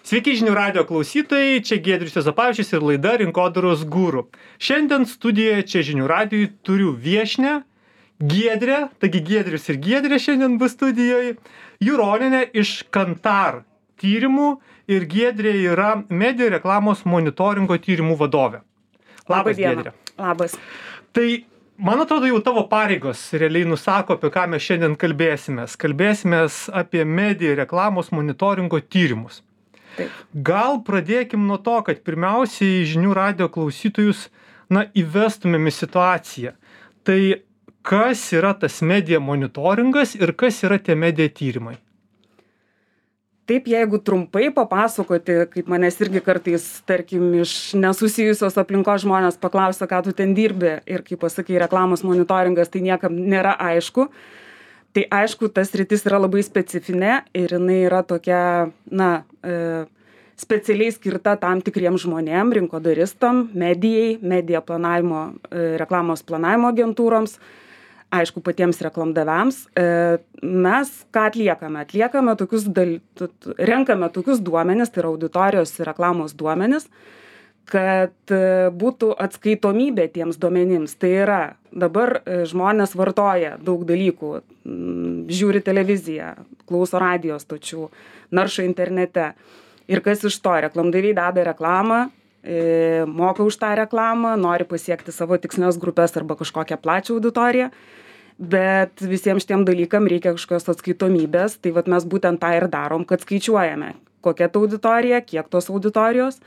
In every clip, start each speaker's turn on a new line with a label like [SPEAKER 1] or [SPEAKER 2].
[SPEAKER 1] Sveiki žinių radio klausytojai, čia Giedrius Juozapavičius ir laida Rinkodaros guru. Šiandien studijoje čia žinių radijui turiu viešnią Giedrę, taigi Giedrius ir Giedrė šiandien bus studijoje, Juronienė iš Kantar tyrimų ir Giedrė yra medijų reklamos monitoringo tyrimų vadovė. Labas, Giedrė.
[SPEAKER 2] Labas.
[SPEAKER 1] Tai man atrodo, jau tavo pareigos realiai nusako, apie ką mes šiandien kalbėsimės. Kalbėsimės apie medijų reklamos monitoringo tyrimus.
[SPEAKER 2] Taip.
[SPEAKER 1] Gal pradėkim nuo to, kad pirmiausiai žinių radio klausytojus įvestumėm į situaciją. Tai kas yra tas medija monitoringas ir kas yra tie medija tyrimai?
[SPEAKER 2] Taip, jeigu trumpai papasakoti, kaip manęs irgi kartais, tarkim, iš nesusijusios aplinkos žmonės paklausia, ką tu ten dirbi ir kaip pasakai, reklamos monitoringas, tai niekam nėra aišku. Tai aišku, tas sritis yra labai specifinė ir jinai yra tokia, specialiai skirta tam tikriem žmonėm, rinkodaristam, medijai, medija planavimo, reklamos planavimo agentūroms, aišku, patiems reklamdaviams. Mes ką atliekame? Atliekame renkame tokius duomenis, tai yra auditorijos ir reklamos duomenis, kad būtų atskaitomybė tiems duomenims. Tai yra, dabar žmonės vartoja daug dalykų, žiūri televiziją, klauso radijo stočių, naršo internete. Ir kas iš to? Reklamdaviai deda reklamą, moka už tą reklamą, nori pasiekti savo tikslinės grupės arba kažkokią plačią auditoriją, bet visiems šitiem dalykam reikia kažkokios atskaitomybės, tai vat mes būtent tą ir darom, kad skaičiuojame, kokia ta auditorija, kiek tos auditorijos,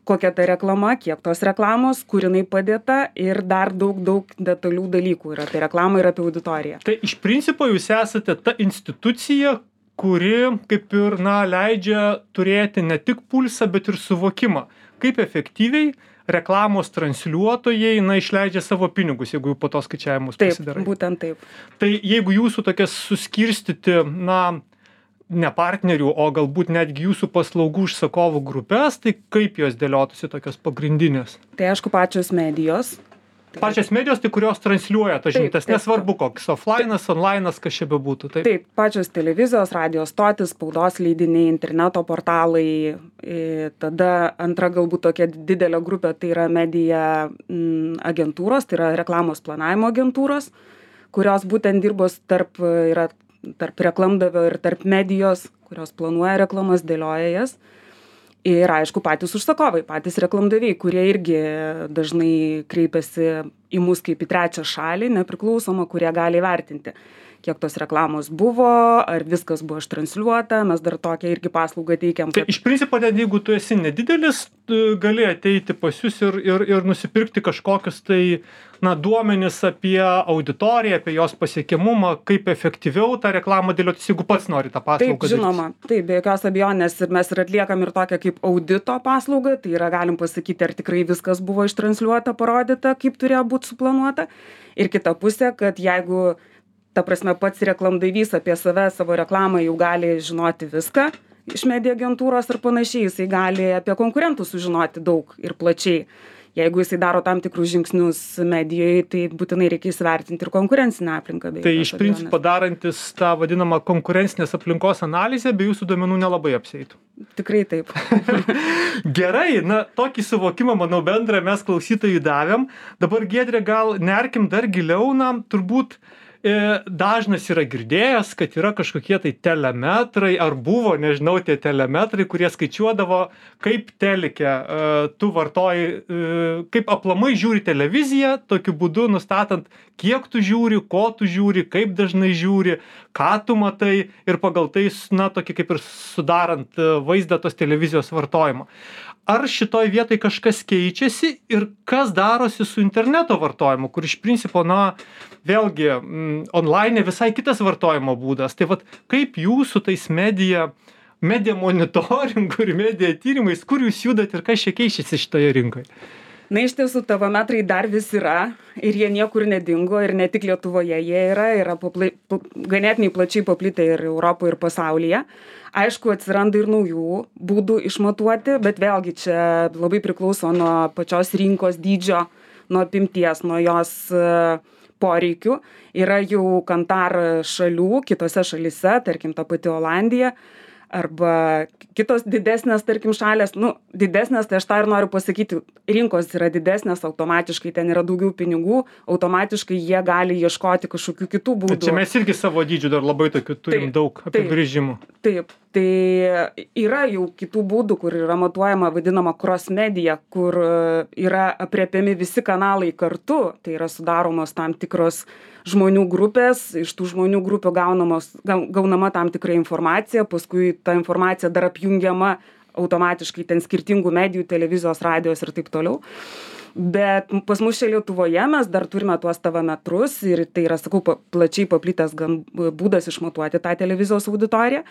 [SPEAKER 2] kokia ta reklama, kiek tos reklamos, kur jinai padėta ir dar daug detalių dalykų yra apie reklamą ir apie auditoriją.
[SPEAKER 1] Tai iš principo jūs esate ta institucija, kuri kaip ir leidžia turėti ne tik pulsą, bet ir suvokimą, kaip efektyviai reklamos transliuotojai išleidžia savo pinigus, jeigu po to skaičiavimus pasidarai.
[SPEAKER 2] Taip, būtent taip.
[SPEAKER 1] Tai jeigu jūsų tokias suskirstyti, ne partnerių, o galbūt netgi jūsų paslaugų užsakovų grupės, tai kaip jos dėliotųsi tokios pagrindinės?
[SPEAKER 2] Tai aišku, pačios medijos.
[SPEAKER 1] Pačios medijos, tai kurios transliuoja tas žinutes, nesvarbu koks, offline'as, online'as, kas čia bebūtų.
[SPEAKER 2] Taip, pačios televizijos, radijos stotis, spaudos leidiniai, interneto portalai, tada antra galbūt tokia didelė grupė, tai yra medija agentūros, tai yra reklamos planavimo agentūros, kurios būtent dirbos tarp reklamdavio ir tarp medijos, kurios planuoja reklamas, dėlioja jas. Ir aišku, patys užsakovai, patys reklamdaviai, kurie irgi dažnai kreipiasi į mus kaip į trečią šalį, nepriklausomą, kurie gali vertinti, kiek tos reklamos buvo, ar viskas buvo ištransliuota, mes dar tokią irgi paslaugą teikiam.
[SPEAKER 1] Tai iš principo, net jeigu tu esi nedidelis, gali ateiti pas jūs ir nusipirkti kažkokius duomenis apie auditoriją, apie jos pasiekiamumą, kaip efektyviau tą reklamą dėliotis, jeigu pats nori tą paslaugą.
[SPEAKER 2] Taip, žinoma, taip, be jokios abejonės ir mes ir atliekam ir tokią kaip audito paslaugą, tai yra galim pasakyti, ar tikrai viskas buvo ištransliuota, parodyta, kaip turėjo būti suplanuota. Ir kita pusė, kad jeigu ta prasme pats reklamdavys apie save, savo reklamą jau gali žinoti viską iš medijų agentūros ir panašiai, jisai gali apie konkurentus sužinoti daug ir plačiai. Jeigu jisai daro tam tikrus žingsnius medijoje, tai būtinai reikia įsivertinti ir konkurencinę aplinką.
[SPEAKER 1] Tai iš principo darantis tą vadinamą konkurencinės aplinkos analizę, be jūsų duomenų nelabai apsieitų.
[SPEAKER 2] Tikrai taip.
[SPEAKER 1] Gerai, tokį suvokimą, manau, bendrą mes klausytojui davėm. Dabar, Giedrė, gal nerkim dar giliau, turbūt dažnas yra girdėjęs, kad yra kažkokie tai telemetrai, ar buvo, nežinau, tie telemetrai, kurie skaičiuodavo, kaip telike tu vartoji, kaip aplamai žiūri televiziją, tokiu būdu nustatant, kiek tu žiūri, ko tu žiūri, kaip dažnai žiūri, ką tu matai ir pagal tai, tokį kaip ir sudarant vaizdą tos televizijos vartojimo. Ar šitoj vietoj kažkas keičiasi ir kas darosi su interneto vartojimu, kur iš principo, vėlgi, online visai kitas vartojimo būdas. Tai kaip jūsų tais medija monitoringu ir medija tyrimais, kur jūs judat ir kas čia keičiasi šitoje rinkoje?
[SPEAKER 2] Iš tiesų, tavo metrai dar vis yra ir jie niekur nedingo ir ne tik Lietuvoje jie yra ganėtinai plačiai paplitę ir Europoje ir pasaulyje. Aišku, atsiranda ir naujų būdų išmatuoti, bet vėlgi čia labai priklauso nuo pačios rinkos dydžio, nuo apimties, nuo jos poreikių. Yra jau Kantar šalių, kitose šalyse, tarkim ta pati Olandija, arba kitos didesnės, tarkim, šalės, nu, didesnės, tai aš tą ir noriu pasakyti, rinkos yra didesnės, automatiškai ten yra daugiau pinigų, automatiškai jie gali ieškoti kažkokių kitų būdų.
[SPEAKER 1] Čia mes irgi savo dydžių dar labai tokių turim daug apibrėžimų.
[SPEAKER 2] Taip, tai yra jau kitų būdų, kur yra matuojama vadinama cross media, kur yra apriepiami visi kanalai kartu, tai yra sudaromos tam tikros žmonių grupės, iš tų žmonių grupių gaunama tam tikra informacija, paskui ta informacija dar apjungiama automatiškai ten skirtingų medijų, televizijos, radijos ir taip toliau. Bet pas mus čia Lietuvoje mes dar turime tuos TV metrus ir tai yra, sakau, plačiai paplitęs būdas išmatuoti tą televizijos auditoriją,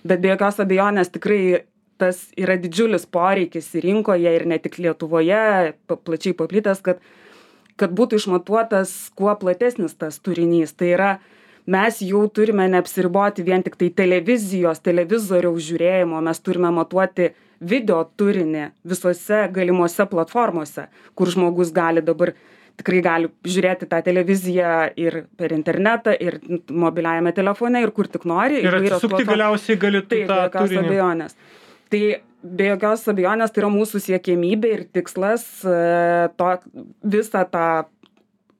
[SPEAKER 2] bet be jokios abejonės tikrai tas yra didžiulis poreikis rinkoje ir ne tik Lietuvoje, plačiai paplitęs, kad būtų išmatuotas kuo platesnis tas turinys. Tai yra, mes jau turime neapsiriboti vien tik tai televizoriaus žiūrėjimo, mes turime matuoti video turinį visose galimose platformose, kur žmogus gali dabar tikrai gali žiūrėti tą televiziją ir per internetą, ir mobiliajame telefone, ir kur tik nori.
[SPEAKER 1] Ir atsisukti galiausiai gali tą turinį.
[SPEAKER 2] Abejonės. Tai be jokios abejonės tai yra mūsų siekiamybė ir tikslas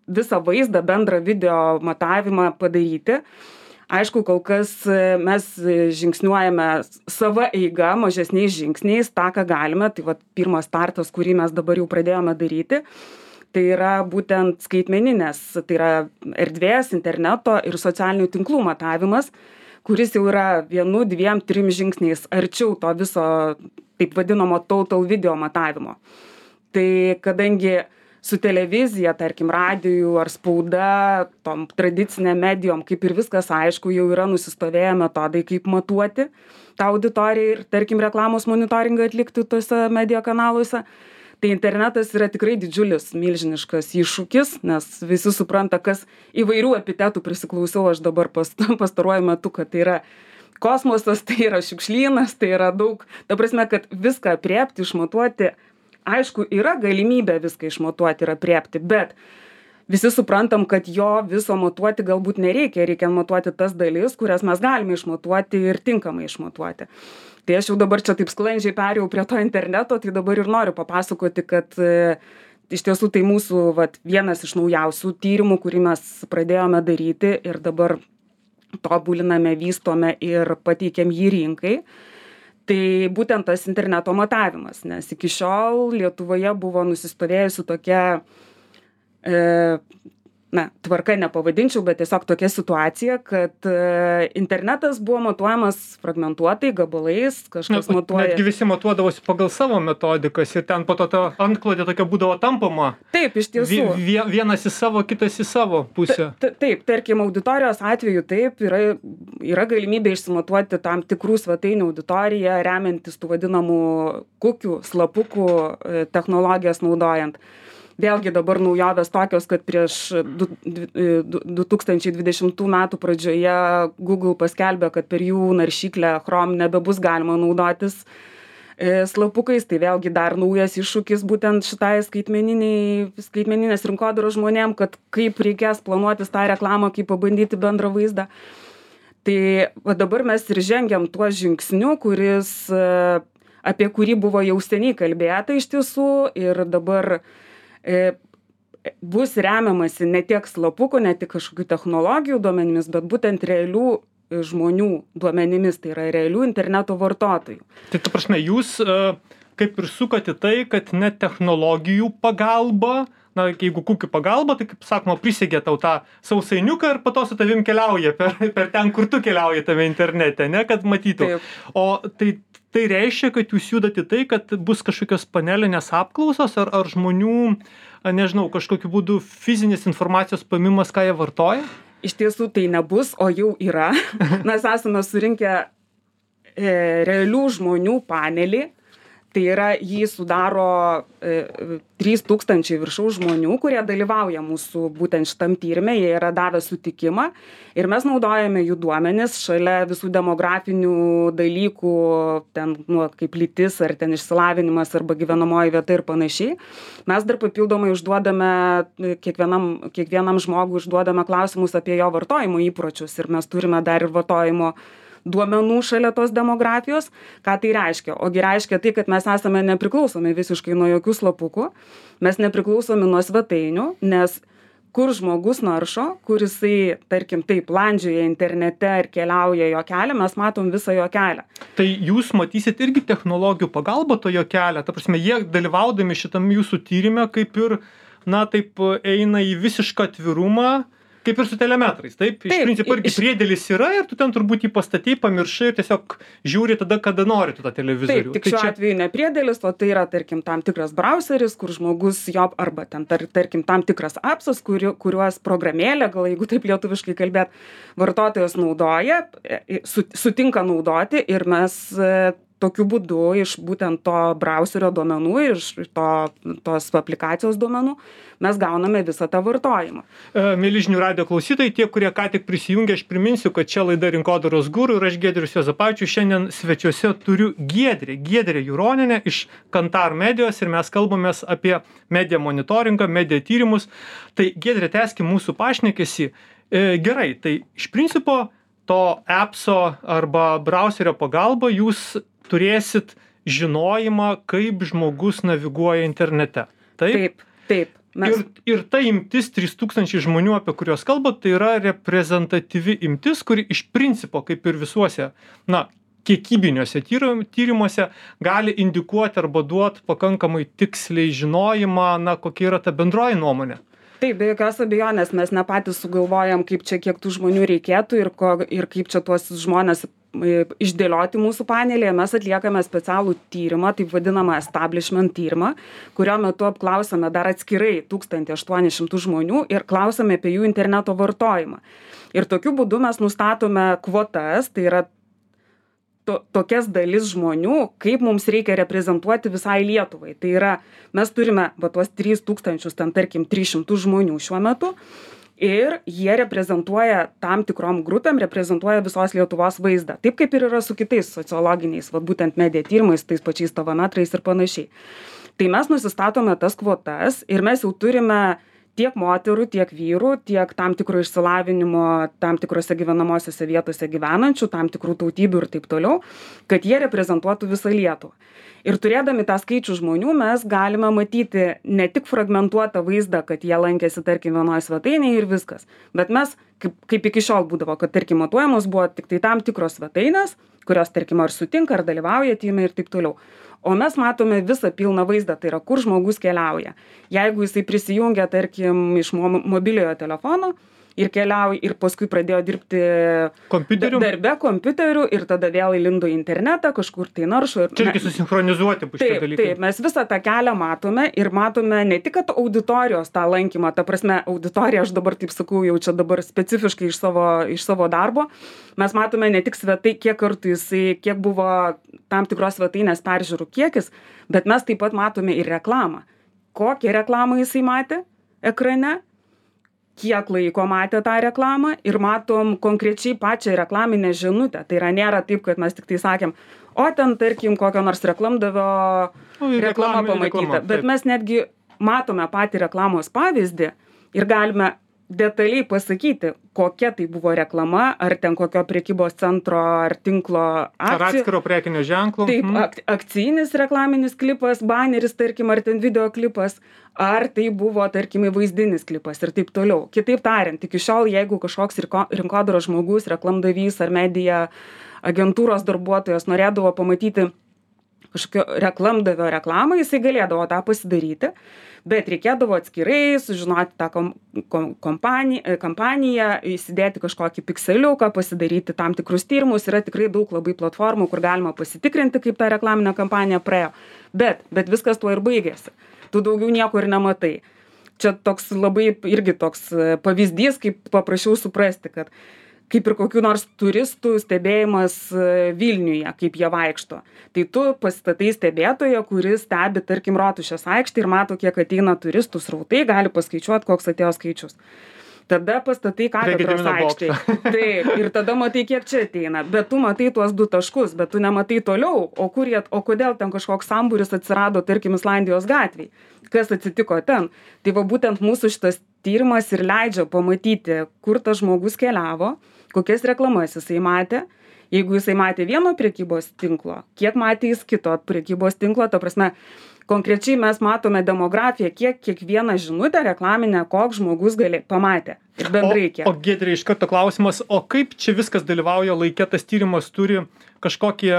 [SPEAKER 2] visą vaizdą, bendrą video matavimą padaryti. Aišku, kol kas mes žingsniuojame savo eiga, mažesniais žingsniais, tą, ką galime. Tai pirmas startas, kurį mes dabar jau pradėjome daryti, tai yra būtent skaitmeninės, tai yra erdvės, interneto ir socialinių tinklų matavimas, kuris jau yra 1, 2, 3 žingsniais arčiau to viso taip vadinamo total video matavimo. Tai kadangi su televizija, tarkim, radijų ar spauda, tom tradicinėm medijom, kaip ir viskas aišku, jau yra nusistovėję metodai, kaip matuoti tą auditoriją ir, tarkim, reklamos monitoringą atlikti tose medijų kanaluose. Tai internetas yra tikrai didžiulis, milžiniškas iššūkis, nes visi supranta, kas įvairių epitetų prisiklausiau aš dabar pastaruoju metu, kad tai yra kosmosas, tai yra šiukšlynas, tai yra daug, ta prasme, kad viską apriepti, išmatuoti, aišku, yra galimybė viską išmatuoti ir apriepti, bet visi suprantam, kad jo viso matuoti galbūt nereikia, reikia matuoti tas dalis, kurias mes galime išmatuoti ir tinkamai išmatuoti. Tai aš jau dabar čia taip sklandžiai perėjau prie to interneto, tai dabar ir noriu papasakoti, kad iš tiesų tai mūsų vienas iš naujausių tyrimų, kurį mes pradėjome daryti ir dabar tobuliname, vystome ir pateikėm jį rinkai. Tai būtent tas interneto matavimas, nes iki šiol Lietuvoje buvo nusistovėjusi tokia tvarka nepavadinčiau, bet tiesiog tokia situacija, kad internetas buvo matuojamas fragmentuotai, gabalais, kažkas matuoja.
[SPEAKER 1] Netgi visi matuodavosi pagal savo metodikas ir ten po to antklodė tokia būdavo tampoma.
[SPEAKER 2] Taip, iš tiesų.
[SPEAKER 1] Vienas į savo, kitas į savo pusę.
[SPEAKER 2] Taip, tarkim, auditorijos atveju taip, yra galimybė išsimatuoti tam tikrų svetainių auditoriją, remiantis tų vadinamų kukių, slapukų technologijas naudojant. Vėlgi dabar naujovės tokios, kad prieš 2020 metų pradžioje Google paskelbė, kad per jų naršyklę Chrome nebebus galima naudotis slapukais, tai vėlgi dar naujas iššūkis būtent šitai skaitmeninės rinkodaros žmonėm, kad kaip reikės planuotis tą reklamą, kaip pabandyti bendrą vaizdą. Tai dabar mes ir žengiam tuo žingsniu, apie kurį buvo jau seniai kalbėta iš tiesų ir dabar bus remiamasi ne tiek slapukų, ne tik kažkokių technologijų duomenimis, bet būtent realių žmonių duomenimis, tai yra realių interneto vartotojų.
[SPEAKER 1] Tai ta prasme, jūs kaip ir sukate tai, kad ne technologijų pagalba, jeigu kukių pagalba, tai kaip sakoma, prisegė tau tą sausainiuką ir po to su tavim keliauja per ten, kur tu keliauji tave internete, ne, kad matytų.
[SPEAKER 2] Taip.
[SPEAKER 1] O tai reiškia, kad jūs judate tai, kad bus kažkokios panelinės apklausos ar žmonių, nežinau, kažkokiu būdu fizinės informacijos paimimas, ką jie vartoja?
[SPEAKER 2] Iš tiesų tai nebus, o jau yra. Mes esame surinkę realių žmonių panelį. Tai yra, jį sudaro 3000 viršaus žmonių, kurie dalyvauja mūsų būtent šitam tyrime, jie yra davę sutikimą ir mes naudojame jų duomenis šalia visų demografinių dalykų, ten, kaip lytis ar ten išsilavinimas arba gyvenamoji vieta ir panašiai. Mes dar papildomai užduodame, kiekvienam žmogui užduodame klausimus apie jo vartojimo įpročius ir mes turime dar ir vartojimo duomenų šalia tos demografijos. Ką tai reiškia? Ogi reiškia tai, kad mes esame nepriklausomi visiškai nuo jokių slapukų, mes nepriklausomi nuo svetainių, nes kur žmogus naršo, kur jisai, tarkim, taip, landžioja internete ir keliauja jo kelią, mes matom visą jo kelią.
[SPEAKER 1] Tai jūs matysit irgi technologijų pagalba to jo kelią, ta prasme, jie dalyvaudami šitam jūsų tyrime kaip ir, na, taip eina į visišką atvirumą, kaip ir su telemetrais, taip? Iš principo irgi priedėlis yra ir tu ten turbūt jį pastatei, pamiršai ir tiesiog žiūri tada, kada nori tu tą televizorių.
[SPEAKER 2] Taip, tik šiuo atveju ne priedėlis, o tai yra, tarkim, tam tikras browseris, kur žmogus jo, arba ten, tarkim, tam tikras appsas, kuriuos programėlė, gal jeigu taip lietuviškai kalbėt, vartotojas naudoja, sutinka naudoti ir mes tokiu būdu iš būtent to browserio duomenų, iš tos aplikacijos duomenų, mes gauname visą tą vartojimą.
[SPEAKER 1] Mieli žinių radijo klausytojai, tie, kurie ką tik prisijungė, aš priminsiu, kad čia laida Rinkodaros guru ir aš Giedrius Juozapavičius. Šiandien svečiuose turiu Giedrę Juronienę iš Kantar Medijos ir mes kalbamės apie media monitoringą, media tyrimus. Tai Giedrė, tęskim mūsų pašnekesį. Gerai, tai iš principo to appso arba browserio pagalba jūs turėsit žinojimą, kaip žmogus naviguoja internete. Taip?
[SPEAKER 2] Taip.
[SPEAKER 1] Ir ta imtis 3000 žmonių, apie kuriuos kalbat, tai yra reprezentatyvi imtis, kuri iš principo, kaip ir visuose, na, kiekybiniuose tyrimuose, gali indikuoti arba duoti pakankamai tiksliai žinojimą, na, kokia yra ta bendroji nuomonė.
[SPEAKER 2] Taip, be jokios abejonės, mes ne patys sugalvojam, kaip čia kiek tų žmonių reikėtų ir kaip čia tuos žmonės išdėlioti mūsų panelėje. Mes atliekame specialų tyrimą, taip vadinamą establishment tyrimą, kurio metu apklausome dar atskirai 1800 žmonių ir klausome apie jų interneto vartojimą. Ir tokiu būdu mes nustatome kvotas, tai yra tokias dalis žmonių, kaip mums reikia reprezentuoti visai Lietuvai. Tai yra, mes turime tuos 3000, ten tarkim 300 žmonių šiuo metu ir jie reprezentuoja tam tikrom grupėm, reprezentuoja visos Lietuvos vaizdą. Taip kaip ir yra su kitais sociologiniais, būtent media tyrimais, tais pačiais tavometrais ir panašiai. Tai mes nusistatome tas kvotas ir mes jau turime tiek moterų, tiek vyrų, tiek tam tikro išsilavinimo, tam tikrose gyvenamosiose vietose gyvenančių, tam tikrų tautybių ir taip toliau, kad jie reprezentuotų visą Lietuvą. Ir turėdami tą skaičių žmonių mes galime matyti ne tik fragmentuotą vaizdą, kad jie lankėsi, tarkim, vienoje svetainėje ir viskas, bet mes, kaip iki šiol būdavo, kad, tarkim, matuojamos buvo tik tai tam tikros svetainės, kurios, tarkim, ar sutinka, ar dalyvauja tyrime ir taip toliau. O mes matome visą pilną vaizdą, tai yra, kur žmogus keliauja. Jeigu jisai prisijungia, tarkim, iš mobiliojo telefono ir keliauja ir paskui pradėjo dirbti darbe kompiuteriu ir tada vėl įlindo į internetą, kažkur tai naršo.
[SPEAKER 1] Čia irgi susinchronizuoti bus šie dalykai.
[SPEAKER 2] Taip, mes visą tą kelią matome ir matome ne tik, kad auditorijos tą lankymą, ta prasme, auditorija, aš dabar taip sakau, jau čia dabar specifiškai iš savo darbo, mes matome ne tik kiek kartų jisai, kiek buvo tam tikros svetainės peržiūrų kiekis, bet mes taip pat matome ir reklamą. Kokią reklamą jisai matė ekrane, kiek laiko matė tą reklamą ir matom konkrečiai pačią reklaminę žinutę. Tai yra, nėra taip, kad mes tik tai sakėm, o ten, tarkim, kokio nors reklamdavio reklama pamatyta. Bet mes netgi matome patį reklamos pavyzdį ir galime detaliai pasakyti, kokia tai buvo reklama, ar ten kokio prekybos centro ar tinklo akcijų.
[SPEAKER 1] Ar atskiro prekinio ženklo.
[SPEAKER 2] Taip, akcijinis reklaminis klipas, baneris, tarkim, ar ten video klipas, ar tai buvo, tarkim, vaizdinis klipas ir taip toliau. Kitaip tariant, iki šiol, jeigu kažkoks rinkodaros žmogus, reklamdavys ar medija agentūros darbuotojas norėdavo pamatyti kažkokio reklamdavio reklamą, jisai galėdavo tą pasidaryti, bet reikėdavo atskirai sužinoti tą kampaniją, įsidėti kažkokį pikseliuką, pasidaryti tam tikrus tyrimus. Yra tikrai daug labai platformų, kur galima pasitikrinti, kaip ta reklaminė kampanija praėjo. Bet viskas tuo ir baigėsi. Tu daugiau nieko ir nematai. Čia toks labai irgi toks pavyzdys, kaip paprašiau suprasti, kad kaip ir kokių nors turistų stebėjimas Vilniuje, kaip jie vaikšto. Tai tu pasistatai stebėtoją, kuris stebi, tarkim, Rotušės aikštę ir mato, kiek ateina turistų srautai, gali paskaičiuoti, koks atėjo skaičius. Tada pastatai katedros aikštėje. Taip, ir tada matai, kiek čia ateina. Bet tu matai tuos 2 taškus, bet tu nematai toliau, o kodėl ten kažkoks sambūris atsirado, tarkim, Islandijos gatvėj. Kas atsitiko ten? Tai va būtent mūsų šitas tyrimas ir leidžia pamatyti, kur tas žmogus keliavo, kokias reklamas jisai matė Jeigu jisai matė vieno prekybos tinklo, kiek matė jis kito prekybos tinklo, ta prasme, konkrečiai mes matome demografiją, kiek kiekvieną žinutę reklaminę, koks žmogus pamatė. Ir bendrai kiek.
[SPEAKER 1] O Giedrė, iš karto klausimas, o kaip čia viskas dalyvauja laike, tas tyrimas turi kažkokie,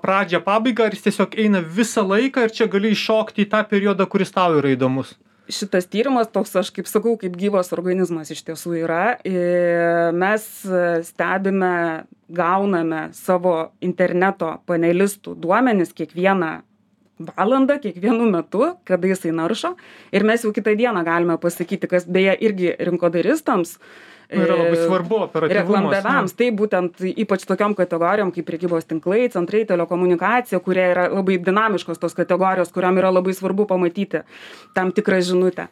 [SPEAKER 1] pradžią, pabaigą, ar jis tiesiog eina visą laiką ir čia gali iššokti į tą periodą, kuris tau yra įdomus?
[SPEAKER 2] Šitas tyrimas toks, aš kaip sakau, kaip gyvas organizmas iš tiesų yra. Mes stebime, gauname savo interneto panelistų duomenis kiekvieną valandą, kiekvienu metu, kada jisai naršo. Ir mes jau kitą dieną galime pasakyti, kas beje irgi rinkodaristams,
[SPEAKER 1] yra labai svarbu, operatyvumas.
[SPEAKER 2] Reklamdaviams, tai būtent ypač tokiom kategorijom kaip prekybos tinklai, centrai, telekomunikacija, kurie yra labai dinamiškos tos kategorijos, kuriam yra labai svarbu pamatyti tam tikrą žinutę.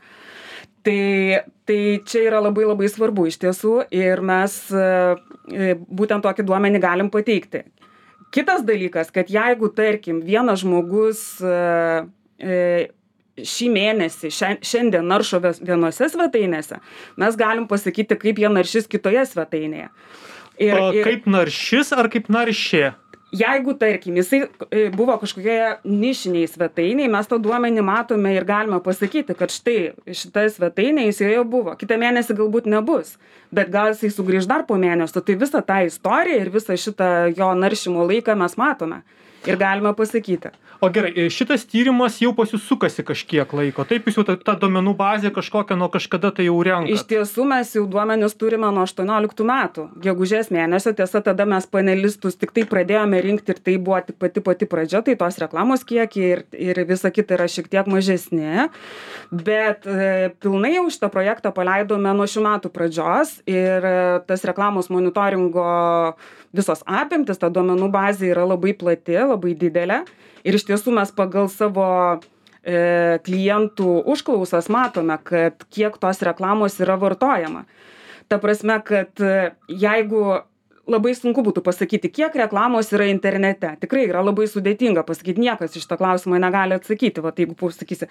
[SPEAKER 2] Tai čia yra labai labai svarbu iš tiesų ir mes būtent tokį duomenį galim pateikti. Kitas dalykas, kad jeigu, tarkim, vienas žmogus šį mėnesį, šiandien naršo vienose svetainėse, mes galim pasakyti, kaip jie naršys kitoje svetainėje.
[SPEAKER 1] Kaip naršys ar kaip naršė?
[SPEAKER 2] Jeigu, tarkim, jisai buvo kažkokioje nišiniai svetainiai, mes tą duomenį matome ir galime pasakyti, kad štai šita svetainė jis joje buvo. Kitą mėnesį galbūt nebus, bet gal jisai sugrįž dar po mėnesio. Tai visą tą istoriją ir visą šitą jo naršymo laiką mes matome ir galime pasakyti.
[SPEAKER 1] O gerai, šitas tyrimas jau pas jūs sukasi kažkiek laiko. Taip jūs jau ta duomenų bazė kažkokia nuo kažkada tai jau renkat.
[SPEAKER 2] Iš tiesų mes jau duomenis turime nuo 18 metų. Gegužės mėnesio, tiesa, tada mes panelistus tik tai pradėjome rinkti ir tai buvo tik pati pradžia, tai tos reklamos kiekiai ir visa kita yra šiek tiek mažesni. Bet pilnai jau šitą projektą paleidome nuo šių metų pradžios ir tas reklamos monitoringo visos apimtis, ta duomenų bazė yra labai plati, labai didelė. Ir iš tiesų mes pagal savo klientų užklausas matome, kad kiek tos reklamos yra vartojama. Ta prasme, kad jeigu labai sunku būtų pasakyti, kiek reklamos yra internete. Tikrai yra labai sudėtinga pasakyti, niekas iš šitą klausimą negali atsakyti. Va, jeigu pasakysi,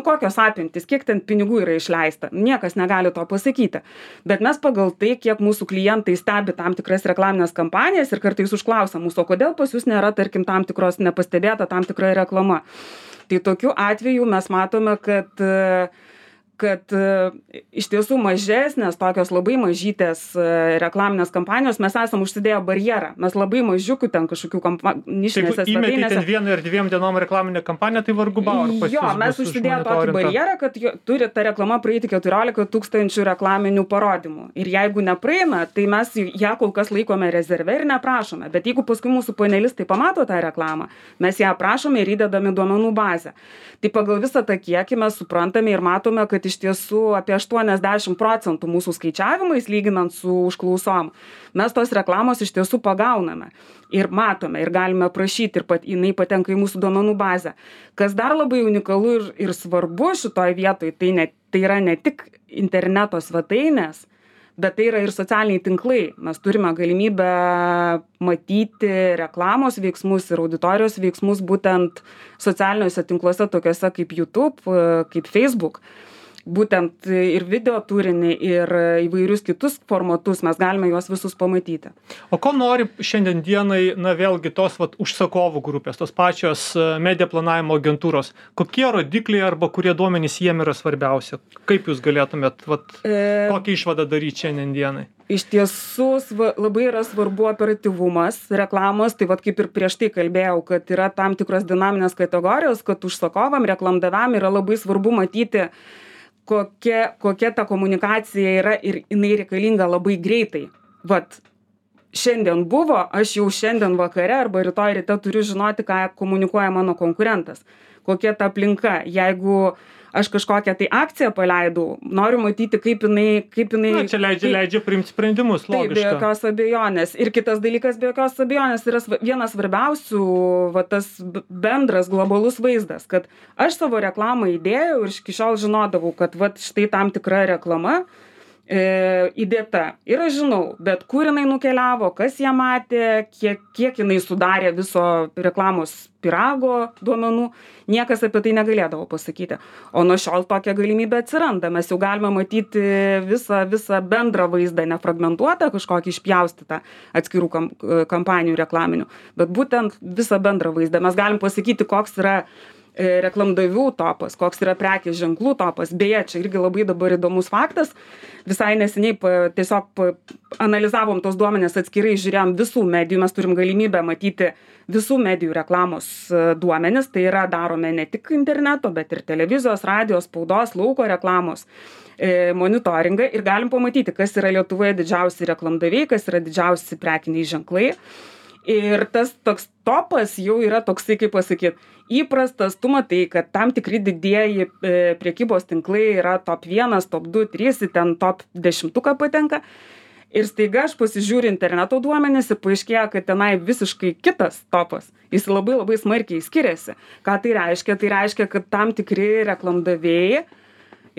[SPEAKER 2] kokios apimtis, kiek ten pinigų yra išleista, niekas negali to pasakyti. Bet mes pagal tai, kiek mūsų klientai stebi tam tikras reklaminės kampanijas ir kartais užklausia mūsų, o kodėl pas jūs nėra, tarkim, tam tikros nepastebėta tam tikra reklama. Tai tokiu atveju mes matome, kad iš tiesų mažesnės, tokios labai mažytės reklaminės kampanijos, mes esam užsidėję barjerą. Mes labai mažiukų ten kažkokių nišinėse svetainėse.
[SPEAKER 1] Jeigu įmetė ten 1 ir 2 dienom reklaminę kampaniją, tai vargu bau.
[SPEAKER 2] Jo, mes užsidėję tokį barjerą, kad turi ta reklama praeiti 14 000 reklaminių parodymų. Ir jeigu nepraeina, tai mes ją kol kas laikome rezerve ir neprašome. Bet jeigu paskui mūsų panelistai pamato tą reklamą, mes ją prašome ir įdedame duomenų bazę. Tai pagal visą tą kiekį mes suprantame ir matome, kad iš tiesų apie 80% mūsų skaičiavimais, lyginant su užklausom, mes tos reklamos iš tiesų pagauname ir matome ir galime prašyti ir jinai patenka į mūsų duomenų bazę. Kas dar labai unikalu ir svarbu šitoj vietoj, tai yra ne tik interneto svetainės, bet tai yra ir socialiniai tinklai. Mes turime galimybę matyti reklamos veiksmus ir auditorijos veiksmus būtent socialiniuose tinkluose, tokiuose kaip YouTube, kaip Facebook. Būtent ir video turinį, ir įvairius kitus formatus mes galime juos visus pamatyti.
[SPEAKER 1] O ko nori šiandien dienai, vėlgi tos užsakovų grupės, tos pačios media planavimo agentūros? Kokie rodikliai arba kurie duomenys jiem yra svarbiausia? Kaip jūs galėtumėt, kokią išvadą daryti šiandien dienai?
[SPEAKER 2] Iš tiesų labai yra svarbu operatyvumas reklamos, tai kaip ir prieš tai kalbėjau, kad yra tam tikros dinaminės kategorijos, kad užsakovam, reklamdaviam yra labai svarbu matyti, kokia ta komunikacija yra ir jinai reikalinga labai greitai. Šiandien buvo, aš jau šiandien vakare arba rytoj ryte turiu žinoti, ką komunikuoja mano konkurentas. Kokia ta aplinka. Jeigu aš kažkokią tai akciją paleidau, noriu matyti, kaip jinai...
[SPEAKER 1] Čia leidžia priimti sprendimus, logiška.
[SPEAKER 2] Taip, be jokios abejonės. Ir kitas dalykas, be jokios abejonės, yra vienas svarbiausių, tas bendras globalus vaizdas, kad aš savo reklamą įdėjau ir iki šiol žinodavau, kad štai tam tikra reklama įdėta. Ir aš žinau, bet kur jinai nukeliavo, kas ją matė, kiek jinai sudarė viso reklamos pyrago duomenų, niekas apie tai negalėdavo pasakyti. O nuo šiol tokia galimybė atsiranda. Mes jau galime matyti visą bendrą vaizdą, nefragmentuotą, kažkokį išpjaustytą atskirų kampanijų reklaminių, bet būtent visą bendrą vaizdą. Mes galim pasakyti, koks yra reklamdavių topas, koks yra prekės ženklų topas. Beje, čia irgi labai dabar įdomus faktas. Visai neseniai tiesiog analizavom tos duomenės atskirai, žiūrėjom visų medijų, mes turim galimybę matyti visų medijų reklamos duomenis, tai yra darome ne tik interneto, bet ir televizijos, radijos, spaudos, lauko reklamos monitoringą ir galim pamatyti, kas yra Lietuvoje didžiausi reklamdaviai, kas yra didžiausi prekiniai ženklai. Ir tas toks topas jau yra toksai, kaip pasakyti, įprastas, tu matai, kad tam tikri didieji prekybos tinklai yra top 1, top 2, 3, ten top 10 patenka. Ir staiga aš pasižiūriu interneto duomenis ir paaiškėja, kad tenai visiškai kitas topas. Jis labai labai smarkiai skiriasi. Ką tai reiškia? Tai reiškia, kad tam tikri reklamdavėjai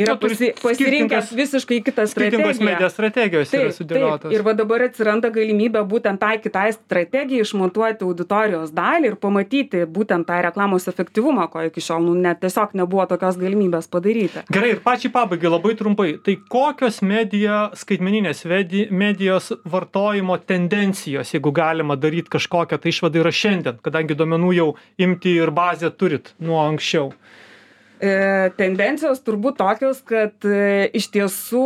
[SPEAKER 2] yra pasirinkęs visiškai kitą strategiją.
[SPEAKER 1] Skirtingos medijos strategijos yra sudėliotos.
[SPEAKER 2] Ir va dabar atsiranda galimybė būtent tai kitai strategijai išmontuoti auditorijos dalį ir pamatyti būtent tą reklamos efektyvumą, ko iki šiol net tiesiog nebuvo tokios galimybės padaryti.
[SPEAKER 1] Gerai, ir pačiai pabaigai labai trumpai. Tai kokios skaitmeninės medijos vartojimo tendencijos, jeigu galima daryti kažkokią tai išvadą, yra šiandien, kadangi duomenų jau imti ir bazę turit nuo anksčiau?
[SPEAKER 2] Tendencijos turbūt tokios, kad iš tiesų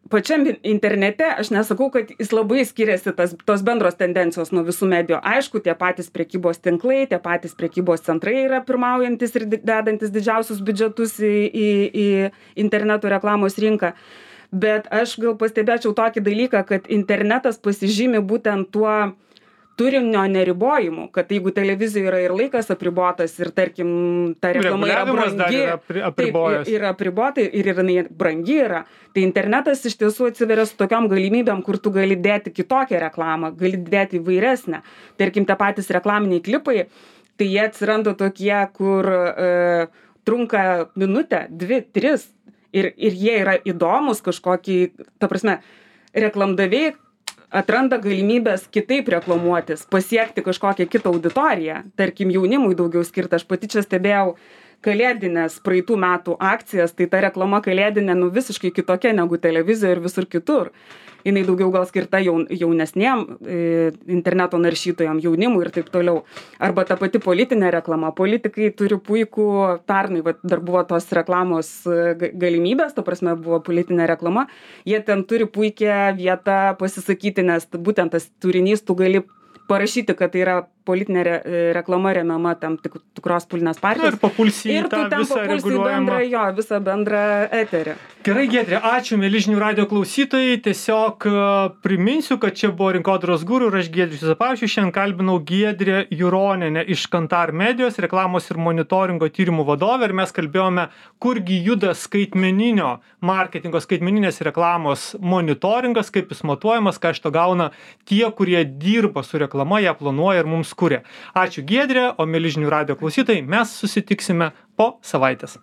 [SPEAKER 2] pačiam internete, aš nesakau, kad jis labai skiriasi tos bendros tendencijos nuo visų medijų. Aišku, tie patys prekybos tinklai, tie patys prekybos centrai yra pirmaujantis ir dedantis didžiausius biudžetus į interneto reklamos rinką. Bet aš gal pastebėčiau tokį dalyką, kad internetas pasižymi būtent tuo turinio neribojimu, kad jeigu televizijoje yra ir laikas apribotas ir tarkim ta reklama yra brangi, yra apribota ir jinai brangi yra, tai internetas iš tiesų atsiveria su tokiom galimybėm, kur tu gali dėti kitokią reklamą, gali dėti įvairesnę. Tarkim, tie patys reklaminiai klipai, tai jie atsiranda tokie, kur trunka minutę, 2, 3 ir jie yra įdomus kažkokį, ta prasme, reklamdaviai atranda galimybės kitaip reklamuotis, pasiekti kažkokią kitą auditoriją, tarkim jaunimui daugiau skirta. Aš pati čia stebėjau kalėdinės praeitų metų akcijas, tai ta reklama kalėdinė visiškai kitokia negu televizijoje ir visur kitur. Jinai daugiau gal skirta jaunesniem interneto naršytojam, jaunimui ir taip toliau. Arba ta pati politinė reklama. Politikai turi puikų, pernai dar buvo tos reklamos galimybės, ta prasme buvo politinė reklama. Jie ten turi puikią vietą pasisakyti, nes būtent tas turinys tu gali parašyti, kad tai yra politinė reklama remiama tam tikros politinės partijos.
[SPEAKER 1] Ir papulsi į tą visą reguliuojamą.
[SPEAKER 2] Visą bendrą eterį.
[SPEAKER 1] Gerai, Giedrė, ačiū, mieli žinių radijo klausytojai. Tiesiog priminsiu, kad čia buvo Rinkodaros guru ir aš Giedrius Juozapavičius. Šiandien kalbinau Giedrę Juronienę iš Kantar medijos, reklamos ir monitoringo tyrimų vadovę. Ir mes kalbėjome, kurgi juda skaitmeninio marketingo, skaitmeninės reklamos monitoringas, kaip jis matuojamas, ką iš to gauna tie, kurie dirba su reklama, ją planuoja ir mums kuria. Ačiū Giedrė, o mieli žinių radijo klausytojai, mes susitiksime po savaitės.